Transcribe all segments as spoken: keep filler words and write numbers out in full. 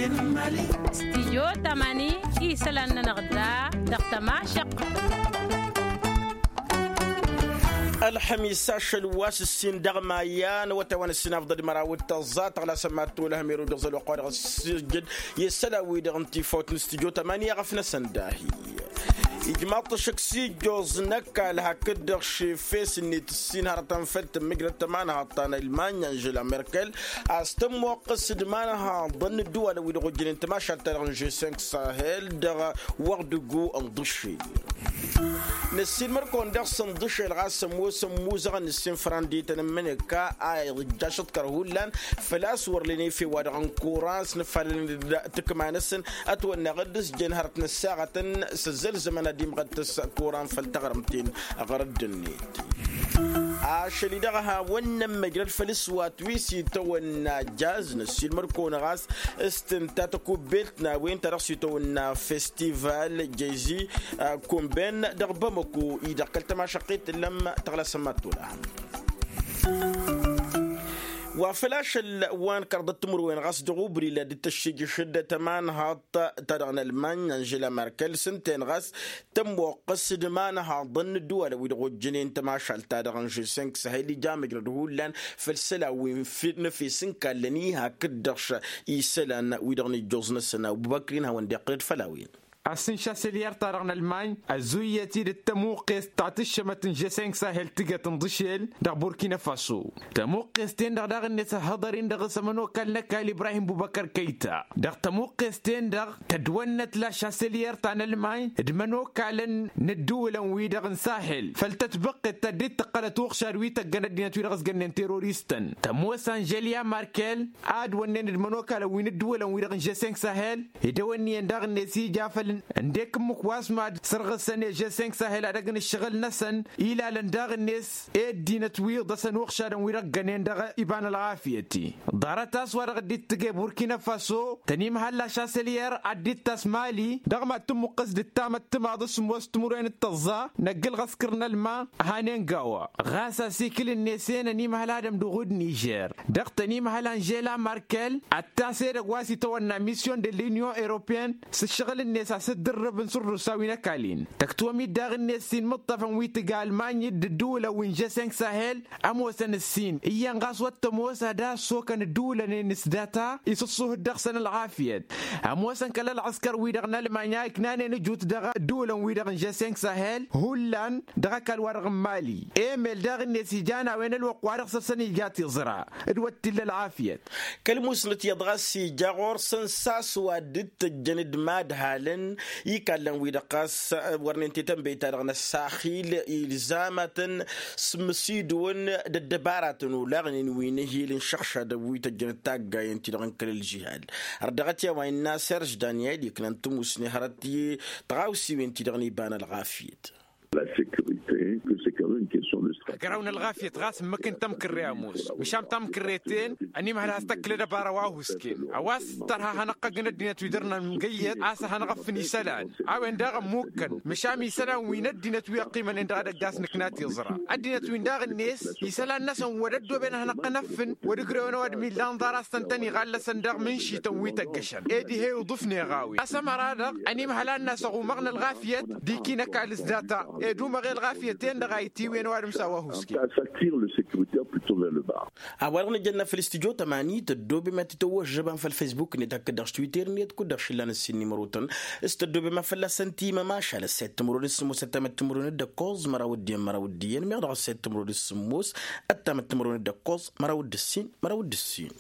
Stijyo tamani isălan-nănăɣ da dăɣ-tămašăqq. Ălxămis ašăl wa s-ǝssin dăɣ-maya n-awătay wa n-ǝssin afḍăl d-măraw d-tăẓẓa tăɣlasăn mad-tolăhăm erud dăɣ-zăl wa qwa dăɣ-s ǝjjăd i-isălan-wi-dăɣ n-tifawt n-stijyo tamani i-aɣăf-năsăn dahi. Ijmaḍ-t ăššăk s-ijjoẓ n-ăkall hakd-dăɣ šefes-net ǝssin hărătăn făll-tǝmmǝjrăd ta imanhaḍt ta n-almanya anžela merkel a-s tămmoqqăs d-imanhaḍăn n-ǝddǝwalăn wi-dăɣ ojjănen tămašalt-ta-dăɣ n-žeseng sahel dăɣ-wăɣdǝgu n-ḍǝššel. Năssiilmăr-kăwăn dăɣ-săn ḍǝššel ɣas ămoos ămmuzăɣăn n-ǝssin fărăndităn n-imǝnǝkka a ija ašǝḍkăr hullan făl-a-s wăr len efew-wa-dăɣ n-kuran s-nǝfalăn d-tǝkma-năsăn ătwănneɣ d-ǝzjăn hărăt n-ăssaɣătăn s-ăzzălzămăn ad-imɣăttăs kuran făll-taɣrǝmt-en ɣărădd-net. Ašăl-i-dăɣ a hawăn-nămmăjrăd făll-ǝswat wi s-itawănna jaz năssiilmăr-kăwăn ɣas s-tǝnta tăkubbelt n-a-wen ta dăɣ-s itawănna festival jezi. Kumben dăɣ-bamăko-i-dăɣ kăl-tămašăqqit tǝllăm tăɣlasăn mad-tolăhăm. Wa făl ašăl wa n-kărḍăt timǝrwen ɣas dăɣ-ubrila dd-tăššijǝšăd tămanhaḍt ta dăɣ-nălmany anžela merkel s-ǝnta-en ɣas tămmoqqăs d-imanhaḍăn n-ǝddǝwalăn wi-dăɣ ojjănen tămašalt-ta-dăɣ n-žeseng sahel ija măjrăd hullan făll-isălan wi n-efes n-kallăn-i hakd-dăɣ isălan-wi-dăɣ n-ijjuẓ-năsăn abubăkr-in hawăn-dd-iqqǝlăd făll-a-wen. Asǝnša s-elyar-ta-dăɣ n-ălmany ăzzuyyăt-dd d-tămuqqest ta tǝššămăt n-žeseng sahel tǝjăt n-iḍǝšel dăɣ-burkina faso. Tămuqqest-en-dăɣ daɣ-net ăhhăḍăr-in dăɣ-s ămănokal n-ăkall ibrahim bubăkăr kăyta dăɣ-tămuqqest-en-dăɣ tădwănnăt lašaselyar ta n-ălmany d-imănokalăn n-ǝddǝwǝlăn-wi-dăɣ n-sahel făll-tătbăqqet ta dd-tǝqqălăt uɣšad wi tăggăn ăddinăt-wi-dăɣ s-gănnen teroristăn tămoos anželya markel. Ad-wănnen d-imănokalăn wi n-ǝddǝwǝlăn-wi-dăɣ n-žeseng sahel. Ed ewănniyăn daɣ-net ija făll-ǝndek ǝmmǝk wa s-mad-sărɣǝsăn i-žeseng sahel ad-ăgg n-ǝššăɣǝl-năsăn ilalăn daɣ-net i-ăddinăt-wi ḍăsăn uɣšadăn-wi-dăɣ ǝggănen dăɣ-iba n-ălɣafyăt-i. Ḍarăt a-s wa dăɣ-dd-ittǝge burkina faso tănimhălla šasălyăr ad-dd-ittas mali dăɣ-mad-tǝmmuqqǝs d-ǝttamăt timaḍ s-sǝmmos timǝrwen d-tăẓẓa n-ăgg-ǝlɣăskăr n-ălma. Hanen gawa ɣas asikǝl-net-en ănimhăl adăm d-uɣud nižer dăɣ-tănimhăl anžela markel ăttas edăgg wa s-itawănna misyon de l-inyon europeyăn s-ǝššăɣǝl-net a-s dd-ǝrrǝbăn s-ǝrrǝsa wi n-ăkall-in tăktwăm-dd daɣ-net s-inmǝṭṭăfăn wi tǝga ălmany d-ǝddǝwǝlăn wi n-žeseng sahel. Ămoosăn ǝssin iyyăn ɣas wăr tămoos ad-assokăn ǝddǝwǝlăn-en s-data isǝṣṣuh-dd dăɣ-săn ălɣafyăt. Ămoosăn kăl-ălɣăskăr-wi-dăɣ n-ălmanya iknanen ǝjut dăɣ-ǝddǝwǝlăn-wi-dăɣ n-žeseng sahel hullan dăɣ-ăkall-wa-dăɣ n-mali. Emel daɣ-net ijan a-wen ălwăqq wa dăɣ-săr-săn ija tiẓra d-wăr t-illa ălɣafyăt. Kăl-musnăt iyyăḍ ɣas ija ɣur-săn s-a-s wa dd-tăjjăn d-imadhalăn ikallăn-wi-dăɣ ɣas wărnen tetănbey-ta-dăɣ n-ăssaxil ilzam ad-tăn-sǝmmǝsidǝwăn d-ăddăbaratăn olaɣnen wi n-ehil n-išăɣšadăn wi tăjjăn d-taggayen-ti-dăɣ n-kăl-ălžihad. Ărdăɣăt i-a-wa innă serž daniel iknăn timusne hărăt i-tɣawsiwen-ti-dăɣ n-iba n-ălɣafyăt. Agăraw n-ălɣafyăt ɣas ǝmmǝk n-tamkărre ămoos măšan tamkărre-ten. Ănimhăl has-tăkklăd ăbara wa husken a-wa s-tărha ad-hanăɣ-tăggǝn ăddinăt wi dăr-nămgăyyăt a-s ad-hanăɣ-ăffǝn isălan. A-wen daɣ ămmukkăn măšan isălan wi n-ăddinăt wi ăqqimănen dăɣ-edăgg a-s nǝkna tiẓra ăddinăt-win daɣ-net isălan-năsăn wăr-ăddooben ad-hanăɣ-tăn-ăffǝn wăr-ǝjrewăn ăwadǝm illan ḍar a-s tăn-tăn-iɣallăsăn dăɣ-mǝnšităn wi tăggăšăn ed ih'-e uḍǝf n-eɣawen a-s ămăra-dăɣ ănimhăl ad-nasăɣ umăɣ n-ălɣafyăt d-ikin ăkall s-data ed umăɣ i-ălɣafyăt-en-dăɣ a itiwǝyăn ăwadǝm s-a-wa husken. A-wa-dăɣ nǝjănna făll-studyo tămani tăddoobem ad-tităwwăžžăbăm făll-facebook-net hakd-dăɣ s-twitter-net kud-dăɣ šillan ǝssin n-imărotăn s-tăddoobem ad-fălla-săn timămašal ăssayăt timǝrwen d-sǝmmos ăttamăt timǝrwen d-ǝkkoẓ măraw d-iyyăn măraw d-iyyăn meɣ dăɣ-ăssayăt timǝrwen d-sǝmmos ăttamăt timǝrwen d-ǝkkoẓ măraw d-ǝssin măraw d-ǝssin.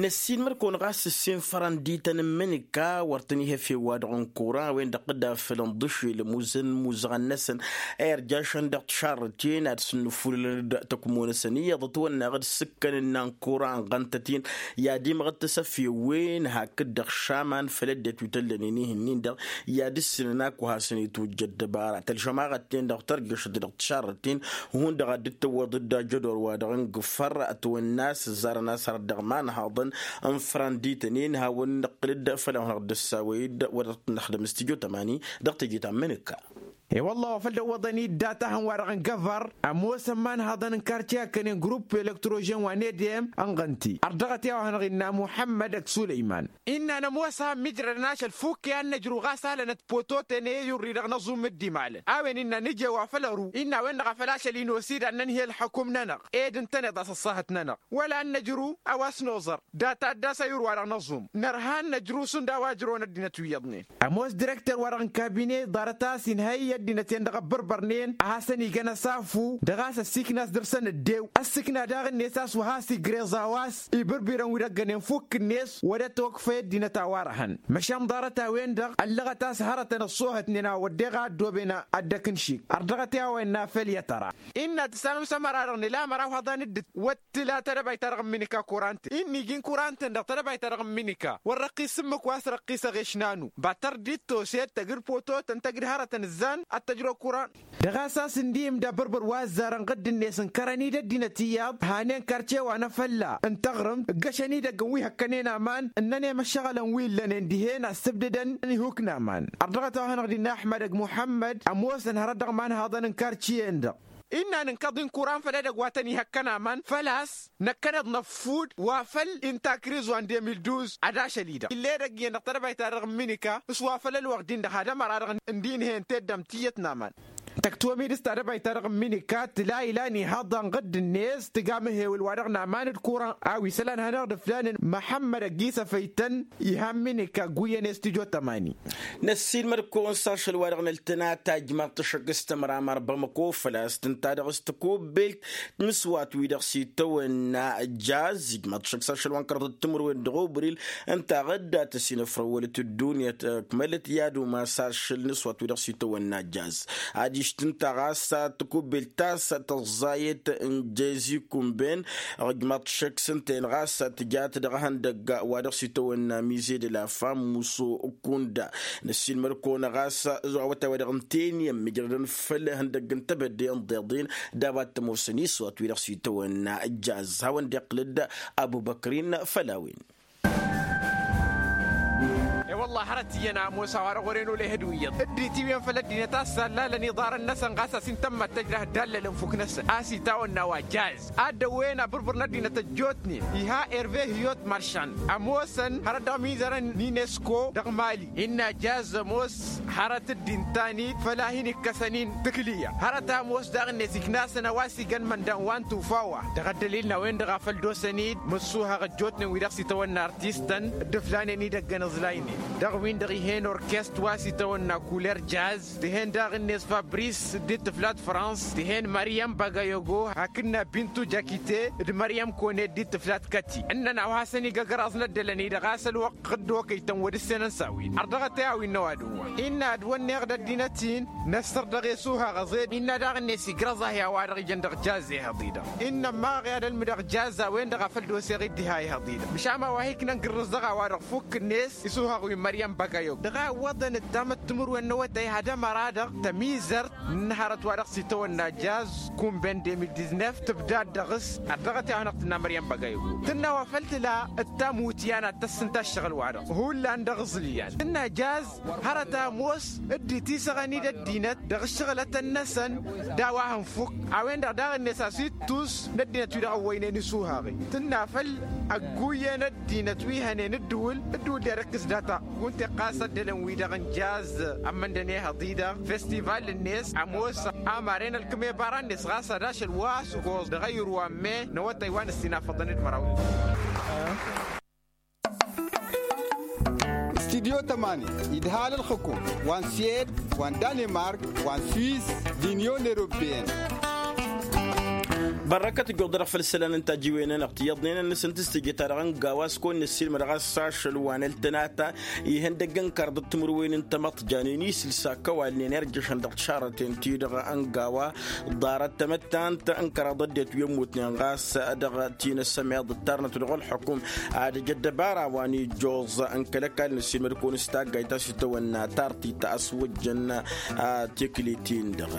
Năssiinmăr-kăwăn ɣas ǝssin fărăndităn n-imǝnǝka wăr tăn-ih' efew-wa-dăɣ n-kuran a-wen-dăɣ d-afăl ǝnḍǝšel ămuzăn imuzăɣăn-năsăn a irjašăn dăɣ-tišarrǝten ad-sǝnnǝfulălăn d-tăkmo-năsăn iyyăḍ ătwănneɣ d-sǝkkăn ǝnnan kuran ɣăn-tăt-in i-ad-imɣǝttǝs efew-wen hakd-dăɣ šaman făll-ăddinăt wi tăllănen ih'-ǝnnin-dăɣ i-ad-ǝssǝnăn ak wa hasăn-itwǝjja ăddăbara tălžămaɣăt-ten-dăɣ tărjăšăt dăɣ-tišarrǝten. Hundăɣ ad-dd-tăwwăḍ-dd ajădor-wa-dăɣ n-gǝffăr ătwănna a-s ǝzzarăn a-s hărăt dăɣ-imanhaḍăn n-fărăndităn-in hawăn-nǝqqǝl-dd făll-a-wen-dăɣ dd-ăssawăy-dd wăr dăɣ-t-năxdăm studyo tămani dăɣ-teje ta n-imǝnǝkka. E-wălla wa făl dăwwăḍăn-dd data-hăn-wa-dăɣ n-găvar ămoosăn imanhăḍăn n-kartiya kănen grupp elektrožen wa n-edem ănɣăn-ti ărdăɣăt i-a-wa hanăɣ-innă muḥămmăd d-sulăyman. Innă nămoos a ămmijrădăn ašăl fukk i-ad-năjrǝw ɣas alănăt pototen i-urri dăɣ-năẓum d-imalăn a-wen innă nǝje wa făl ăru innă a-wen-dăɣ a făl ašăl-in osid ad-nănhǝy ălxukum-nănăɣ. Ed ǝntăneḍ a-s ăṣṣahăt-nănăɣ wăla ad-năjrǝw a-wa s-noẓăr data dd-asăyur wa dăɣ-năẓum. Nărha ad-năjrǝw šund a-wa ǝjrăwăn ăddinăt wi iyyăḍnen. Ămoos direkter-wa-dăɣ n-kabine ḍarăt a-s inhăy ăddinăt-en-dăɣ ăbbărbărnen a hasăn-igăn ăsafu dăɣ-a-s ăssiikna a-s dăr-săn ăddew ăssiikna daɣ-net a-s wa has-igreẓ a-wa s-ibǝrbirăn wi dăggănen fukk-net. Wăr-e tokfăy ăddinăt a-wa răhăn măšan ḍarăt-a-wen-dăɣ ăllăɣăt a-s hărătăn ăṣṣoohătnen a wădden a ăddooben ad-dăk-nǝšik. Ărdăɣăt i-a-wa innă făll-i ătăra. Innă tǝssanăm s-ămăra-dăɣ nǝla ămăra wi haḍan dd-wăt tǝla tadăbayt-ta-dăɣ n-minika kurant-en inn'-iji n-kurant-en-dăɣ tadăbayt-ta-dăɣ n-minika wăr răqqis s-ǝmmǝk wa s-răqqisăɣ ešnanu. Ba tăr-dd-ittos ed tăgg-dd pototen tăgg-dd hărătăn ǝzzan ad-t-ăjrăw kurant. Dăɣ-a-s a-s ǝndihǝm d-abărbăr wa ăzzarăn ɣǝdd-net ǝnkărăn-dd ăddinăt iyyăḍ hanen karce wa n-afălla n-taɣrǝmt ǝggăšăn idăgg n-wi hăkkănen aman ǝnnănem ăššăɣǝlăn wi ǝllănen dihen a ǝssǝbdǝdăn ihuk n-aman. Ărdăɣăt a-wa hanăɣ-dd-innă ăḥmădăg muḥămmăd ămoosăn hărăt dăɣ-imanhaḍăn n-karciyen-dăɣ. Innă nǝnkăḍ-in kuran făll-edăgg wa tăn-ihăkkăn aman făl-a-s năkkăneḍ năffud wa făll-intakriz wa n-demil duz ad-ašăl-i-dăɣ ill'-edăgg iyyăn dăɣ-tedăbayt-ta-dăɣ n-minika s-wa făll-ălwăqq-din-dăɣ had-ămăra-dăɣ ǝndi inhăyăn teddăm tiyyăt n-aman. Tăktuwăm-dd s-tadăbayt-ta-dăɣ n-minika tǝla ilan ihăḍa n-ɣǝdd-net tǝga măhewǝl wa dăɣ-naman d-kuran a-wa isălan hanăɣ-dd-ǝflanen măḥămmăd ăgg-isăfăytăn. Iha n-minika ăgguyyăn i-studyo tămani. Năssiilmăd-kăwăn s-ašăl-wa-dăɣ n-ăltănata ijmaḍ-t ăššăk s-tămramar bamăko făl-a-s tǝnta dăɣ-s tăkubbelt n-s-wa-t wi-dăɣ s-itawănna jaz ijmaḍ-t ăššăk s-ašăl wa n-kărăḍăt timǝrwen dăɣ-obril. Ǝnta ɣǝdda tăsinăfrăwălăt ăddunya ăkmălăt i-ad-umas ašăl n-s-wa-t wi-dăɣ s-itawănna jaz. Adiš tǝnta ɣas tăkubbelt ta s-tăẓẓayăt n-jezi kumben. Ijmaḍ-t ăššăk s-ǝnta-en ɣas tǝjat dăɣ-ehăndăgg wa dăɣ-s itawănna mize de la fam muso kunda. Năssiilmăd-kăwăn ɣas awătay wa dăɣ-ǝnta-en i-ămmijrădăn făll-ehăndăgg n-tebădde n-iḍeḍen d-a-wa t-ămoosăn iswat wi-dăɣ s-itawănna jaz hawăn-dd-iqqǝl-dd. Abubăkrin făll-a-wen. E-wălla hărăt iyyăn ămoos a-wa-dăɣ wăren olehăd wi iyyăḍ dd-itiwǝyăn făll-ăddinăt a-s sallalăn iḍarăn-năsăn ɣas a-s intămmat tăjrah dd-allălăn fuk-năsăn a-s itawănna wa jaz. Ad-dăwwen abǝrbǝr n-ăddinăt ăjjootnen iha erve hiyot maršan ămoosăn hărăt dăɣ-imizărăn n-inesko dăɣ-mali innă jaz ămoos hărăt dd-intan-dd făll-a hin-ikkăsăn-in tǝkliya hărăt a ămoos daɣ-net iknasăn a-wa s-igăn măndan wa n-tufa wa dăɣ-ăddălil n-a-wen-dăɣ a făl dd-osăn-dd mǝssuhăɣ ăjjootnen wi-dăɣ s-itawănna artistăn dd-ǝflanen idăgg ănǝẓlaynen dăɣ-win-dăɣ ih'-en orkest wa s-itawănna kuler jaz. Tǝhen daɣ-net fabris dd-tǝflat frans tǝhen măryăm bagayogo hakd n-abintu jakite d-măryăm kone dd-tǝflat kăti ǝnnăn a-wa hasăn-igăgg ăraẓ n-ăddălăn-i-dăɣ a-s ălwăqq dd-okăy-tăn wăr dd-senăn s-a-wen ărdăɣăt i-a-wen n-ăwadǝm wa innă ad-wănneɣ d-ăddinăt-in năssăr dăɣ-e suhaɣ ăẓed innă daɣ-net igrăẓ-ahi a-wa-dăɣ ijăn dăɣ-jaz ehăḍ-i-dăɣ. Innă ămmaɣ i-ad-ălmǝdăɣ jaz a-wen-dăɣ a făl d-oseɣ-dd diha ehăḍ-i-dăɣ măšan a-wa hiknăn gǝrrǝẓ dăɣ-a-wa-dăɣ fukk-net isuhaɣ wi n-măryăm băgăyog dăɣ-a ǝwwăḍăn ǝttam ăttǝmǝrwen n-awătay had-ămăra-dăɣ tămizărt n-hărăt wa dăɣ-s itawănna jaz kumben de mil diznef tǝbdad dăɣ-s. Ărdăɣăt i-a hanăɣ-tǝnna măryăm băgăyog tǝnna wa făl tǝla ǝttam wutyan ad-tăssǝnta ăššăɣǝl-wa-dăɣ hullan dăɣ-iẓǝlyan tǝnna jaz hărăt a ămoos dd-itisăɣăn-dd ăddinăt dăɣ-ǝššăɣǝlătăn-năsăn d-a-wa hănfuk. A-wen-dăɣ daɣ-net a-s ittus n-ăddinăt wi-dăɣ ăwwăynen isuhaɣ-i tǝnna făll-ăgguyyen ăddinăt wi hănen ǝddǝwǝl ǝddǝwǝl d-ad-ăkkǝs data. Kunta iqqas ăddălăn-wi-dăɣ n-jaz ămmăndăn ehăḍ-i-dăɣ festival-net ămoos amaren ălkǝm i-ibara-net ɣas ad-ašăl wa s-ǝkoẓ dăɣ-ayǝr wa n-me n-awătay wa n-ǝssinafăḍăn d-măraw. Studyo tămani idhal ălxǝkum wa n-swed wa n-danemark wa n-swiss d-inyon eropeyăn. Bărrăkăt ǝjjuḍ-dăɣ făll-isălan n-tajiwen-nănăɣ tiyyăḍnen ănnăsăn tǝstǝjăt-ta-dăɣ ăngawa s-kăwăn-năssiilmădăɣ a-s ašăl wa n-ăltănata ihăndăgg n-kăraḍ d-timǝrwen n-tamăḍt janen isilsa kăwalnen irjăšăn dăɣ-tišarrăten-ti-dăɣ ăngawa. Ḍarăt tamăttant n-kăraḍ ăddinăt wi ămmutnen ɣas dăɣ-tinăsămeḍ ǝttarnăt dăɣ-ălxukum ad-ăj ăddăbara wa n-ijjuẓ n-kăl-ăkall năssiilmăd-kăwăn s-taggayt ta s-itawănna tartit a-s wăjjăn. Tiklit-in-dăɣ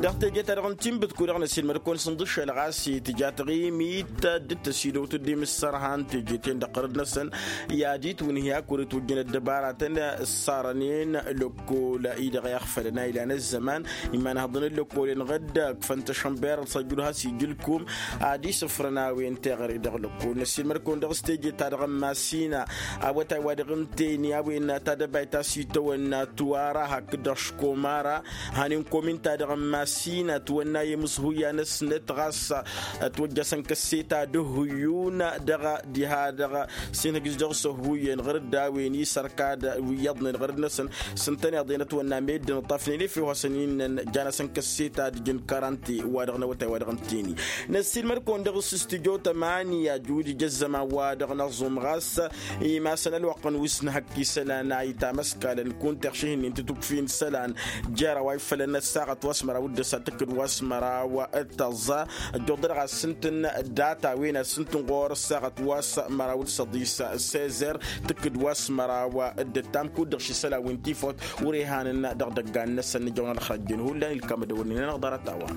dăɣ-teje-ta-dăɣ n-tinbǝtku-dăɣ năssiilmăd-kăwăn s-ǝnḍǝššălăɣ. A-s tǝja taɣimit dd-tăsidăwt dd-imǝssărhan teje-ten-dăɣ ɣărăd-năsăn i-ad-itwǝnhǝy a kăwăr-itwǝjjăn ăddăbaratăn ǝssarănen lăkkol-i-dăɣ i-ăɣfălăn a ilan ăzzăman. Imanhăḍăn n-lăkkolăn ɣǝdd ǝkfăn tăšănber ălsăjjud has-ijǝlkum ad-isǝfrăn a-wen teɣăre dăɣ-lăkkol năssiilmăd-kăwăn dăɣ-s teje-ta-dăɣ n-masina awătay wa dăɣ-ǝnta-en i-a-wen tadăbayt a-s itawănna tuwara hakd-dăɣ škomara. Hanin komin-ta-dăɣ n-masina ătwănna i-imǝshuyya-năsnăt ɣas ătwăjjăsăn kăsseta d-ǝhhǝyyun dăɣ-diha-dăɣ s-inhǝjǝs dăɣ-s ăhhuyyen ɣur-dd a-wen isărkad wi iyyăḍnen ɣur-dd-năsăn. S-ǝntăneḍ-en ătwănna meddǝn ǝṭṭafnen efew hasăn-innăn jan-asăn kăsseta d-ijǝn karante wa dăɣ-năwătay wa dăɣ-ǝnta-en-i. Năssiilmăd-kăwăn dăɣ-s s-tijăw tămani ajudǝj ăzzăman wa dăɣ-năẓum ɣas imasăn ălwăqq n-wi s-nǝhăkk isălan a itamăskalăn kunta iɣših-nin titukfin isălan jer-a-wa ifălăn ăssaɣăt wa s-măraw d-ăsa tǝkkǝd wa s-măraw d-tăẓẓa. Ăjjuḍ-dăɣ a s-ǝntǝn data-wen a s-ǝntǝn ɣur-ăssaɣăt wa s-măraw d-săḍis sezer tǝkkǝd wa s-măraw d-ǝttam kud-dăɣ š-isălan wi n-tifawt. Wăr-ihanăn dăɣ-idăggan-năsăn nǝjăwăn ălxăjjăn hullan ilkam ădăwălnen-anăɣ ḍarăt-a-wa.